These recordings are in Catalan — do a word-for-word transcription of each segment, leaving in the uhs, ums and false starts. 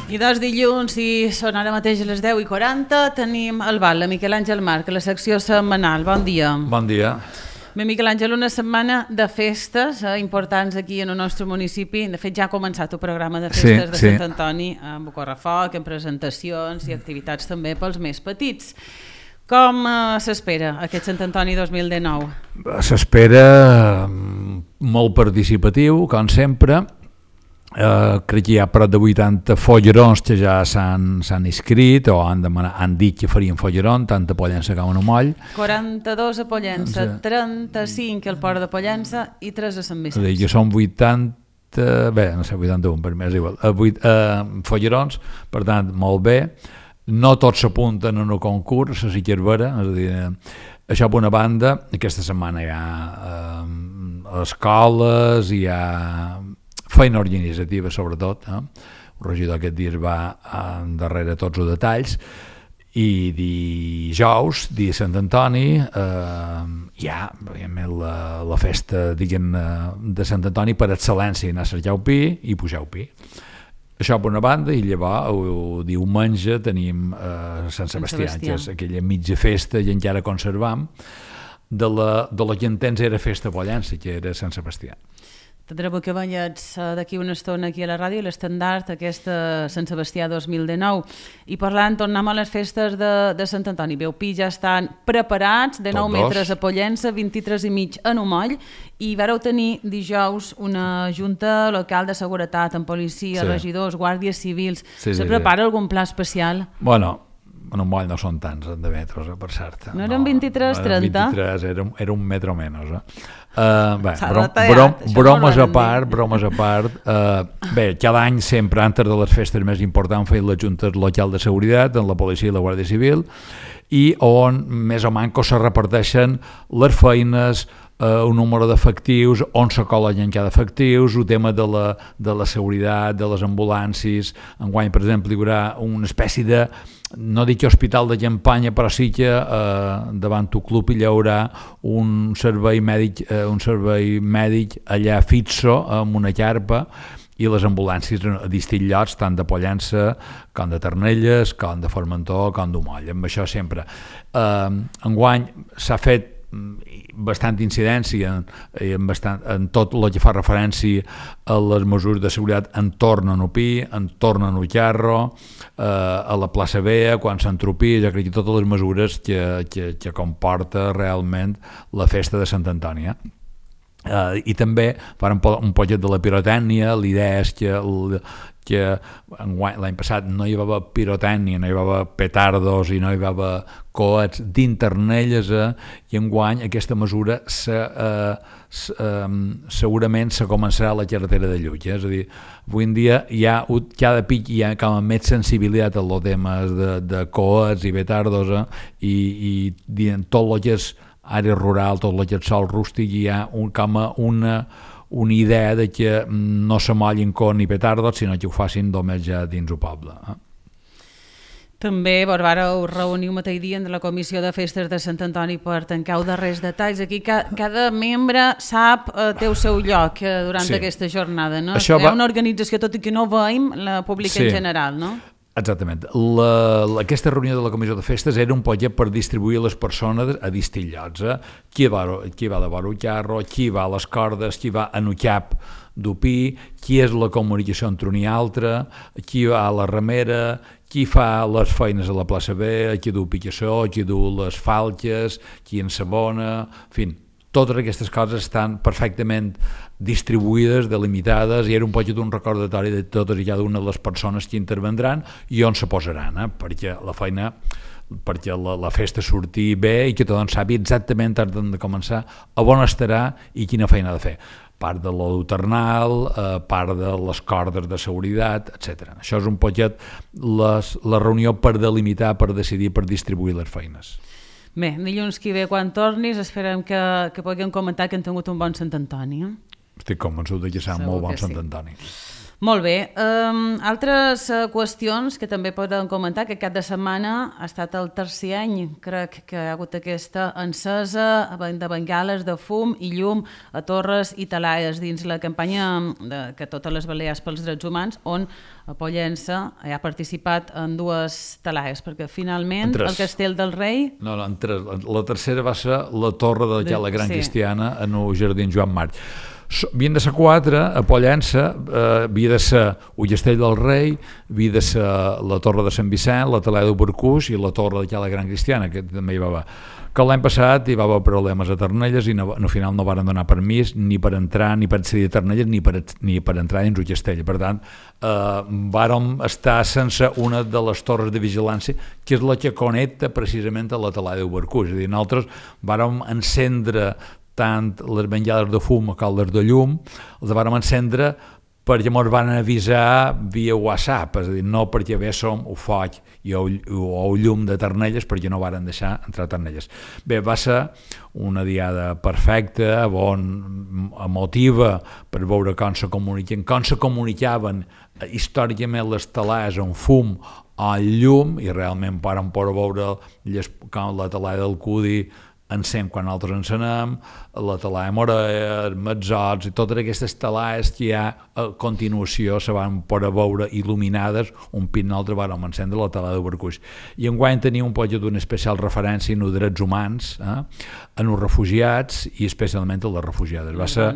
I dos dilluns, i són ara mateix a les deu i quaranta, tenim el bal, la Miquel Àngel Marc, la secció setmanal. Bon dia. Bon dia. Bé, Miquel Àngel, una setmana de festes eh, importants aquí en el nostre municipi. De fet, ja ha començat el programa de festes sí, de Sant sí. Antoni, amb correfoc, amb presentacions i activitats també pels més petits. Com eh, s'espera aquest Sant Antoni dos mil dinou? S'espera molt participatiu, com sempre. Uh, crec que hi ha prop de vuitanta follerons que ja s'han inscrit o han, demanat, han dit que farien folleron, tant a Pollença com a Moll. quaranta-dos a Pollença, sí. trenta-cinc al Port de Pollença i tres a Sant Vicenç. És a dir, que són vuitanta, bé, no sé, vuitanta-un, per mi és igual, uh, vuit, uh, follerons, per tant, molt bé. No tots s'apunten en el concurs, a Siquervera, és a dir, uh, això per una banda, aquesta setmana hi ha uh, escoles, hi ha feina organitzativa sobretot, eh? El regidor aquest dia va darrere tots els detalls, i dijous, dia de Sant Antoni, eh, hi ha la, la festa diguem, de Sant Antoni per excel·lència, anar a cercar pi i pujar pi. Això per una banda, i llavors el diumenge tenim eh, Sant Sebastià, Sant Sebastià, que és aquella mitja festa i encara conservam, de la, de la que en temps era festa Pollença, que era Sant Sebastià. Tindrem que banyats d'aquí una estona aquí a la ràdio l'estandard aquesta Sant Sebastià dos mil dinou, i parlant, tornem a les festes de, de Sant Antoni. Veu, pi ja estan preparats, de nou metres a Pollença, vint-i-tres i mig a Moll, i vareu tenir dijous una junta local de seguretat amb policia, sí. regidors, guàrdies civils. Sí, Se sí, prepara sí. algun pla especial? Bueno, a Moll no són tants de metres, eh, per cert. No eren vint-i-tres, trenta? vint-i-tres, era, era un metro menys, eh? Uh, bé, brom, brom, bromes a part, bromes a part. Uh, bé, cada any sempre, antes de les festes més importants, feien les juntes local de seguretat, amb la policia i la Guàrdia Civil, i on més o manco se reparteixen les feines, uh, un número d'efectius, on se col·leguen cada efectius, el tema de la, de la seguretat, de les ambulàncies. Enguany, per exemple, hi haurà una espècie de, no dic hospital de campanya, però sí que eh, davant el club hi haurà un servei mèdic, eh, un servei mèdic allà fixo, amb una carpa, i les ambulàncies a distints llocs, tant de Pollença com de Ternelles, com de Formentor, com de Moll. Amb això sempre. Eh, enguany s'ha fet bastant incidència en, bastant, en tot el que fa referència a les mesures de seguretat entorn a Nupí, entorn a Nucarro, eh, a la plaça Bea, quan s'entropia, jo crec que totes les mesures que, que, que comporta realment la festa de Sant Antoni. Eh? Uh, i també farem un poquet de la pirotècnia. L'idea és que, el, que l'any passat no hi va haver pirotècnia, no hi va haver petardos i no hi va haver coets d'internelles, eh, i enguany aquesta mesura se, uh, se, um, segurament se començarà a la carretera de Llull, eh? És a dir, avui en dia hi ha, cada pic hi ha com a més sensibilitat a los temes de, de coets i petardos, eh? I, i tot el que és àrea rural, tot el sòl rústic, hi ha un, com una, una idea de que no se mollin con ni petardos, sinó que ho facin només ja dins el poble. Eh? També vos vareu reunir un mateix dia en la Comissió de Festes de Sant Antoni per tancar els darrers detalls. Aquí ca, cada membre sap, eh, té el seu lloc eh, durant sí. aquesta jornada, no? Això és va... una organització, tot i que no veiem la pública sí. en general, no? Exactament. La, la, aquesta reunió de la Comissió de Festes era un poquet per distribuir les persones a distints llocs. Eh? Qui, va, qui va de vora el carro, qui va a les cordes, qui va a un cap d'upí, qui és la comunicació entre un i altre, qui va a la remera, qui fa les feines a la plaça B, qui du picassó, qui du les falques, qui ensabona, en fi, totes aquestes coses estan perfectament distribuïdes, delimitades, i era un poquet un recordatori de totes i cada una de les persones que intervendran i on se posaran, eh? perquè la feina, perquè la, la festa surti bé i que tothom sàpiga exactament abans de començar a on estarà i quina feina ha de fer. Part de l'oduternal, eh, part de les cordes de seguretat, etcètera. Això és un poquet les, la reunió per delimitar, per decidir, per distribuir les feines. Bé, dilluns que ve quan tornis esperem que, que puguem comentar que hem tingut un bon Sant Antoni. Eh? Estic convençut que serà molt bon Sant Antoni. Molt bé. Um, altres uh, qüestions que també podem comentar, que cap de setmana ha estat el tercer any, crec que hi ha hagut aquesta encesa de bengales de fum i llum a Torres i Talaes dins la campanya de, que totes les Balears pels drets humans, on a Pollença ha participat en dues Talaes, perquè finalment el Castell del Rei... No, no, en tres. La tercera va ser la torre de, de la Gran sí. Cristiana en el Jardí Joan March. Havien de ser quatre, a Pollença eh, havia de ser el Castell del Rei, havia de ser la Torre de Sant Vicent, la Talada de Barcús i la Torre de la Gran Cristiana, que també hi va haver. Que l'any passat hi va haver problemes a Ternelles i no, al final no van donar permís ni per entrar, ni per accedir a Ternelles, ni per, ni per entrar dins el castell. Per tant, eh, vàrem estar sense una de les torres de vigilància, que és la que connecta precisament a la Talada de Barcús. És a dir, nosaltres vàrem encendre tant les bengales de fum a caldes de llum, els vàrem encendre perquè ens van avisar via WhatsApp, és a dir, no perquè véssim el foc i el, o el llum de Ternelles, perquè no varen deixar entrar Ternelles. Bé, va ser una diada perfecta, bon, emotiva, per veure com se comunicaven, com se comunicaven històricament les Talaes en fum o llum, i realment vàrem poder veure les, com la Talada del Cudi encén quan nosaltres encenem, la Talaia Morer, Metzots i totes aquestes talaes que ja a continuació se van poder veure il·luminades, un pit nosaltres vàrem encendre la Talada de Barcús. I enguany tenia un poc d'una especial referència en els drets humans, eh, en els refugiats i especialment en les refugiades. Va ser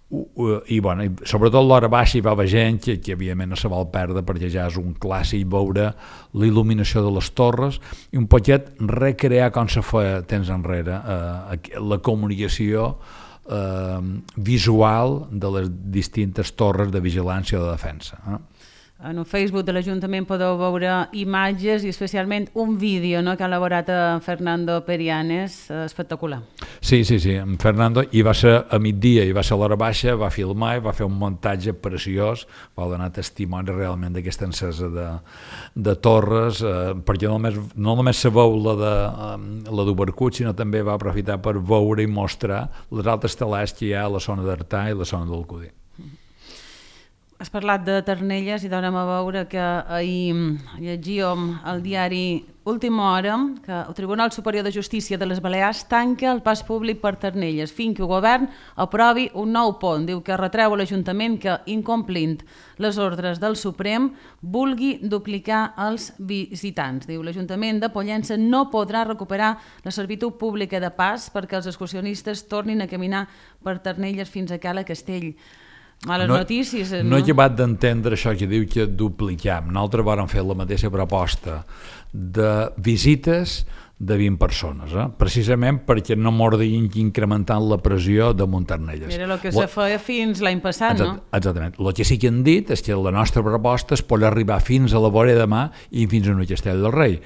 i, bueno, i sobretot l'hora baixa hi va haver gent que, que evidentment no se vol perdre, perquè ja és un clàssic veure la il·luminació de les torres i un poquet recrear com se feia temps enrere eh, la comunicació eh, visual de les distintes torres de vigilància o de defensa. Eh? En el Facebook de l'Ajuntament podeu veure imatges i especialment un vídeo, no?, que ha elaborat en Fernando Perianes, espectacular. Sí, sí, sí, en Fernando, i va ser a migdia, i va ser a l'hora baixa, va filmar i va fer un muntatge preciós, va donar testimoni realment d'aquesta encesa de, de torres, eh, perquè no només, no només se veu la de, eh, la d'Ubercut, sinó també va aprofitar per veure i mostrar les altres talars que hi ha a la zona d'Artà i la zona del Cudi. Has parlat de Ternelles i donem a veure que ahir llegíem al diari Última Hora que el Tribunal Superior de Justícia de les Balears tanca el pas públic per Ternelles fins que el govern aprovi un nou pont. Diu que retreu a l'Ajuntament que, incomplint les ordres del Suprem, vulgui duplicar els visitants. Diu l'Ajuntament de Pollença no podrà recuperar la servitud pública de pas perquè els excursionistes tornin a caminar per Ternelles fins a Cala Castell. Males no, notícies, no? No he acabat d'entendre això que diu que dupliquem. Nosaltres vàrem fer la mateixa proposta de visites de vint persones, eh? Precisament perquè no mordin incrementant la pressió de Ternelles. Era el que se feia fins l'any passat, Exact, no? Exactament. El que sí que han dit és que la nostra proposta és poder arribar fins a la vora de mà i fins a el Castell del Rei.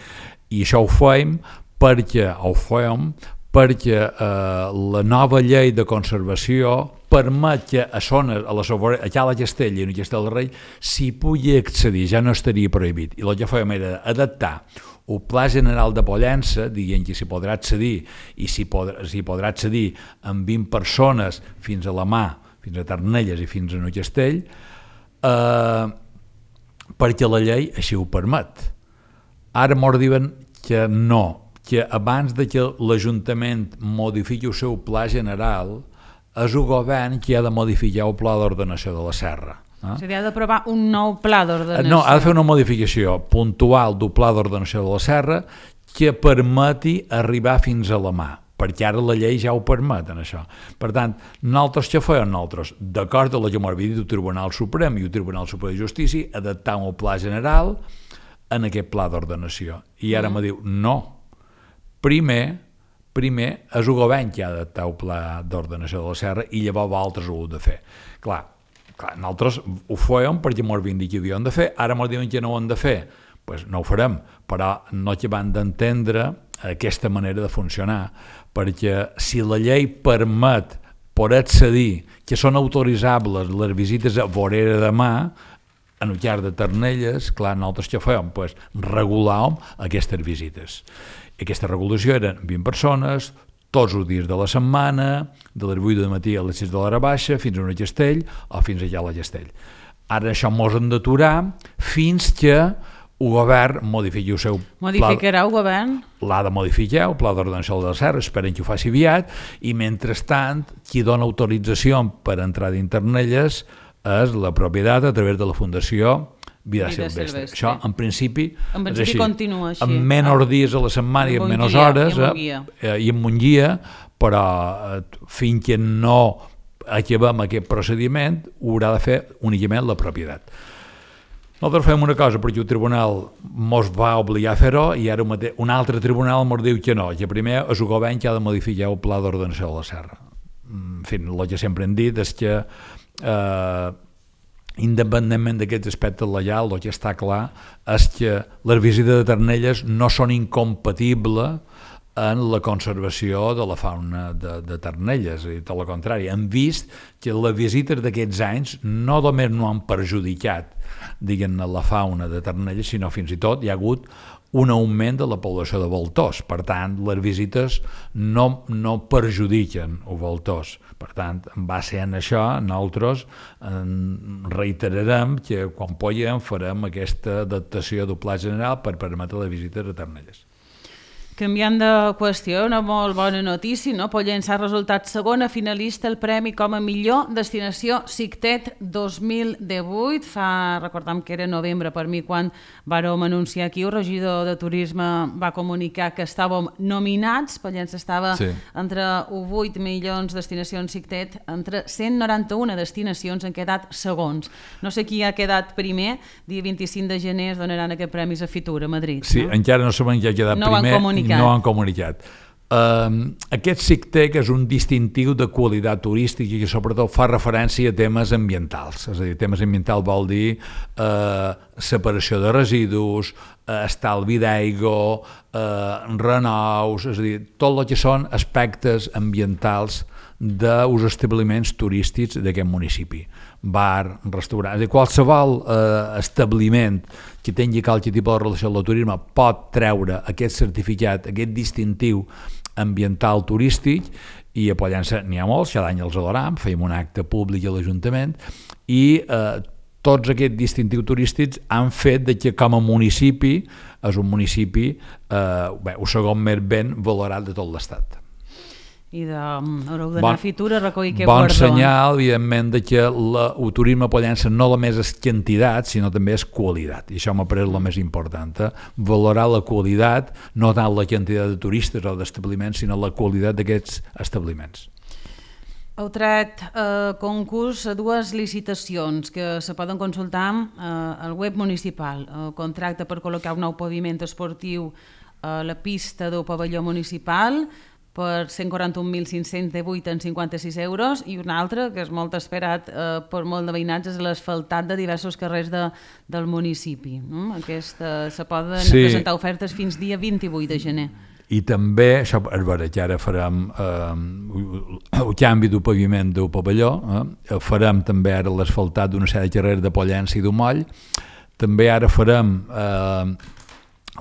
I això ho fèiem perquè, ho fèiem perquè eh, la nova llei de conservació permet que a zones, a la sobre, a Cala Castell i a Castell del Rei s'hi pugui accedir, ja no estaria prohibit. I el que fèiem era adaptar el Pla General de Pollença, dient que s'hi podrà accedir i s'hi podrà, s'hi podrà accedir amb vint persones fins a la mà, fins a Ternelles i fins a Castell, eh, perquè la llei així ho permet. Ara m'ho diuen que no, que abans de que l'Ajuntament modifiqui el seu pla general és el govern qui ha de modificar el pla d'ordenació de la serra. Eh? O sigui, ha d'aprovar un nou pla d'ordenació. No, ha de fer una modificació puntual del pla d'ordenació de la serra que permeti arribar fins a la mà, perquè ara la llei ja ho permet en això. Per tant, nosaltres què fèiem nosaltres? D'acord amb el que m'ha dit el Tribunal Suprem i el Tribunal Superior de Justícia, adaptar el pla general en aquest pla d'ordenació. I ara mm. me diu, no, primer, primer és el govern que ha d'adaptar el pla d'ordenació de la serra i llavors altres ho heu de fer. Clar, clar, nosaltres ho fèiem perquè m'ho havien dit que ho havien de fer, ara m'ho diuen que no ho han de fer, doncs no ho farem, però no acabem d'entendre aquesta manera de funcionar, perquè si la llei permet poder accedir, que són autoritzables les visites a vorera de mà, en el llarg de Ternelles, clar, nosaltres què fèiem? Pues regulàvem aquestes visites. Aquesta regulació eren vint persones, tots els dies de la setmana, de les vuit del matí a les sis de l'hora baixa, fins a un Castell o fins allà a la Castell. Ara això mos hem d'aturar fins que el govern modifiqui el seu Modificarà el govern? L'ha de modificar, el Pla d'Ordenació de la Serra, esperen que ho faci aviat, i mentrestant, qui dona autorització per entrar d'Internelles és la propietat a través de la Fundació Vida, Vida Silvestre. Silvestre. Això, en principi, en principi és així. Continua així. En menys ah. dies a la setmana i en menys guia, hores, i en, eh, i en un guia, però eh, fins que no acabem aquest procediment, ho haurà de fer únicament la propietat. Nosaltres fem una cosa perquè el tribunal mos va obligar a fer-ho i ara un altre tribunal mos diu que no, que primer és el govern que ha de modificar el Pla d'Ordenació de la Serra. En fi, el que sempre hem dit és que eh, independentment d'aquests aspectes legals, el que està clar és que les visites de Ternelles no són incompatibles en la conservació de la fauna de, de Ternelles, i tot el contrari. Hem vist que les visites d'aquests anys no només no han perjudicat diguem-ne la fauna de Ternelles, sinó fins i tot hi ha hagut un augment de la població de voltors. Per tant, les visites no, no perjudiquen els voltors. Per tant, en base en això, nosaltres en reiterarem que quan puguem farem aquesta adaptació del Pla General per permetre les visites a Ternelles. Canviant de qüestió, una molt bona notícia, no? Pollença ha resultat segona finalista al premi com a millor destinació Cictet dos mil divuit. Fa, recordem que era novembre per mi quan vàrem anunciar aquí, el regidor de Turisme va comunicar que estàvem nominats, Pollença estava sí. entre vuit milions de destinacions Cictet, entre cent noranta-una destinacions han quedat segons. No sé qui ha quedat primer, dia vint-i-cinc de gener es donaran aquest premis a Fitur, a Madrid. Sí, no? Encara no sabem qui ha quedat no primer. No han comunicat. Uh, aquest Cictec és un distintiu de qualitat turística i que sobretot fa referència a temes ambientals. És a dir, temes ambientals vol dir uh, separació de residus, uh, estalvi d'aigua, uh, renous, és a dir, tot el que són aspectes ambientals dels establiments turístics d'aquest municipi. Bar, restaurant, és a dir, qualsevol eh, establiment que tingui qualsevol tipus de relació amb el turisme pot treure aquest certificat, aquest distintiu ambiental turístic, i a Pollença n'hi ha molts, cada any els adoram, fèiem un acte públic a l'Ajuntament, i eh, tots aquests distintius turístics han fet de que com a municipi és un municipi eh, bé, el segon més ben valorat de tot l'Estat. I de, haureu d'anar bon, a Fitur a recollir aquest bon guardó. Bon senyal, evidentment, de que la, el turisme a Pollença no només és quantitat, sinó també és qualitat. I això m'ha pareix el més important. Eh? Valorar la qualitat, no tant la quantitat de turistes o d'establiments, sinó la qualitat d'aquests establiments. Heu tret eh, concurs a dues licitacions que se poden consultar eh, al web municipal. El contracte per col·locar un nou paviment esportiu a la pista del pavelló municipal per cent quaranta-un mil cinc-cents divuit coma cinquanta-sis euros, i un altre, que és molt esperat eh, per molt de veïnats, és l'asfaltat de diversos carrers de, del municipi. No? Aquesta, se poden sí. presentar ofertes fins dia vint-i-vuit de gener. I també, això és vera, que ara farem eh, el canvi del paviment del pavelló, eh? farem també ara l'asfaltat d'una sèrie de carrers de Pollença i d'Umoll, també ara farem eh,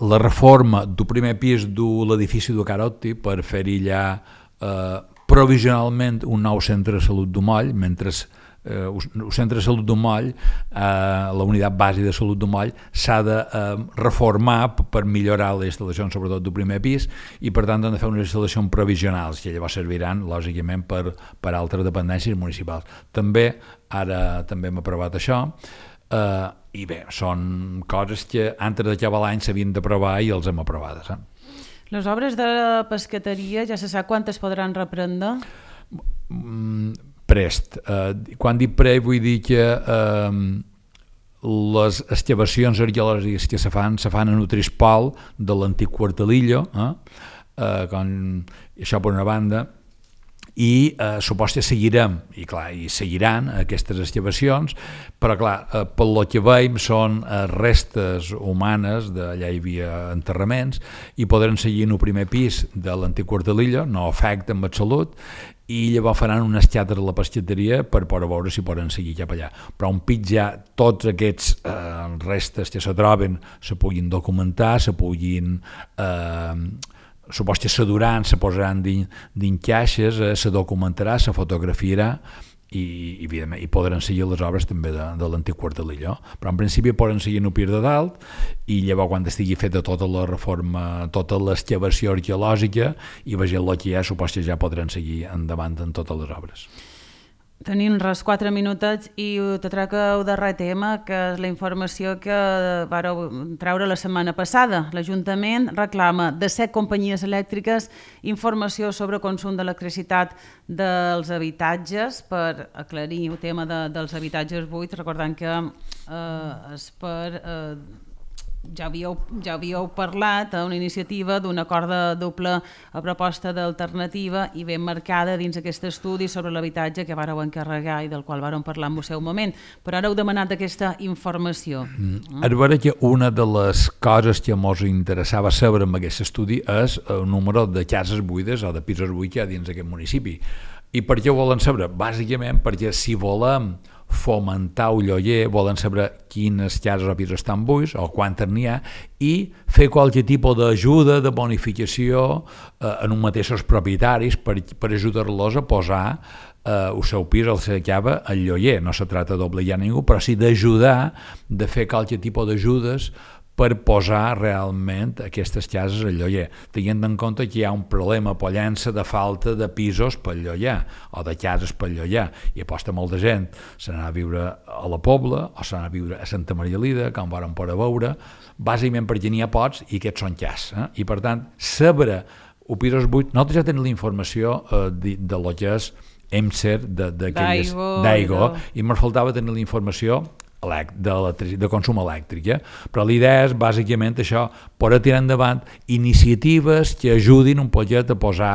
la reforma del primer pis de l'edifici de Carotti per fer-hi allà eh, provisionalment un nou centre de salut d'Umoll, mentre eh, el centre de salut d'Umoll, eh, la unitat bàsica de salut d'Umoll, s'ha de eh, reformar per millorar les instal·lacions, sobretot del primer pis, i per tant han de fer unes instal·lacions provisionals, que llavors serviran, lògicament, per, per altres dependències municipals. També, ara també hem aprovat això, Uh, i bé, són coses que antes d'acabar l'any s'havien d'aprovar i els hem aprovades. Eh? Les obres de la pescateria ja se sap quantes podran reprendre? Mm, prest. Uh, quan dic pre vull dir que uh, les excavacions arqueològiques que se fan se fan en el Trispol de l'antic Quartalillo, eh? uh, quan, això per una banda, i eh, supos que seguirem, i clar, i seguiran aquestes excavacions, però clar, eh, pel que veiem són eh, restes humanes, d'allà hi havia enterraments, i podran seguir en el primer pis de l'antic Quartalillo, no afecta en absolut, i llavors faran un escàter a la pescateria per poder veure si poden seguir cap allà. Però un pit ja tots aquests eh, restes que se troben se puguin documentar, se puguin... Eh, supos que se duran, se posaran dins caixes, eh, se documentarà, se fotografiarà i, i, i podran seguir les obres també de, de l'antic quart de l'Illó, però en principi poden seguir en el Pir de Dalt i llavors quan estigui feta tota la reforma, tota l'excavació arqueològica i vegem el que hi ha, supos que ja podran seguir endavant en totes les obres. Tenim res quatre minutets i te trec el darrer tema, que és la informació que vareu treure la setmana passada. L'Ajuntament reclama de set companyies elèctriques informació sobre consum d'electricitat dels habitatges per aclarir el tema de, dels habitatges buits, recordant que eh, és per... Eh, Ja havíeu, ja havíeu parlat a una iniciativa d'un acord de doble proposta d'alternativa i ben marcada dins aquest estudi sobre l'habitatge que vàreu encarregar i del qual vàrem parlar en el seu moment. Però ara heu demanat aquesta informació. Mm. És vera que una de les coses que ens interessava saber en aquest estudi és el número de cases buides o de pisos buits que hi ha dins aquest municipi. I per què ho volen saber? Bàsicament perquè si volem fomentar el lloguer, volen saber quines cases o pisos estan buits o quantes n'hi ha i fer qualsevol tipus d'ajuda, de bonificació eh, en un mateixos propietaris per, per ajudar-los a posar eh, el seu pis, el seu cava, al lloguer. No se trata d'obligar a ningú, però sí d'ajudar, de fer qualsevol tipus d'ajudes per posar realment aquestes cases al lloguer, tenint en compte que hi ha un problema a Pollença de falta de pisos per lloguer o de cases per lloguer, i aposta molta gent se n'ha a viure a la Pobla o se n'ha a viure a Santa Maria Lida, com vàrem poder veure, bàsicament perquè n'hi ha pocs i aquests són cases, eh? I per tant, saber o pisos buits, nosaltres ja tenim la informació eh, de, de lo que és E M S E R d'Aigua, i ens faltava tenir la informació de, de consum elèctric, eh? Però la idea és bàsicament això, poder tirar endavant iniciatives que ajudin un poquet a posar,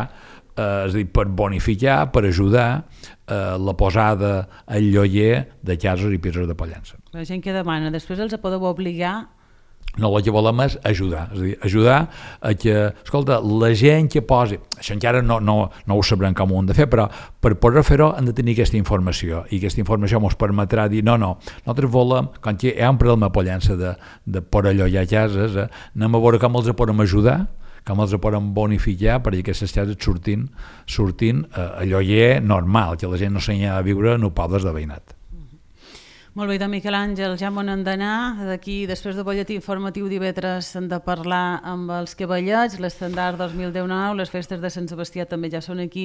eh, és a dir, per bonificar, per ajudar eh, la posada al lloguer de cases i pisos de Pollença. La gent que demana, després els podeu obligar. No, el que volem és ajudar, és a dir, ajudar a que, escolta, la gent que posi, això encara no, no, no ho sabrem com ho hem de fer, però per poder fer-ho hem de tenir aquesta informació, i aquesta informació ens permetrà dir, no, no, nosaltres volem, quan hi ha un problema a Pollença de, de poder llogar cases, eh, anem a veure com els podem ajudar, com els podem bonificar perquè aquestes cases surtin, surtin eh, a lloguer normal, que la gent no s'hi ha de viure en pobles de veïnat. Molt bé, de Miquel Àngel, ja m'on hem d'anar. D'aquí, després del butlletí informatiu d'Ivetres, hem de parlar amb els cavallets, l'estandard dos mil dinou, les festes de Sant Sebastià també ja són aquí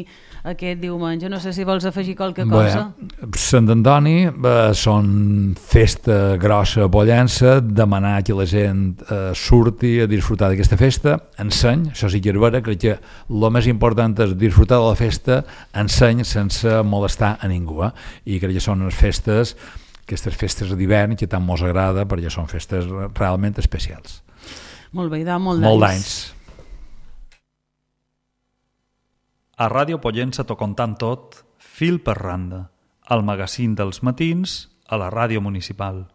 aquest diumenge. No sé si vols afegir qualque cosa. Bé, Sant Antoni eh, són festa grossa a Pollença, demanar que la gent eh, surti a disfrutar d'aquesta festa, enseny, això sí que és vera, crec que el més important és disfrutar de la festa, enseny sense molestar a ningú, eh? I crec que són unes festes aquestes festes d'hivern que tant mos agrada perquè són festes realment especials. Molt bé, de molt d'anys. Molt d'anys. A Ràdio Pollença t'ho contant tot, fil per randa, el magazín dels matins a la ràdio municipal.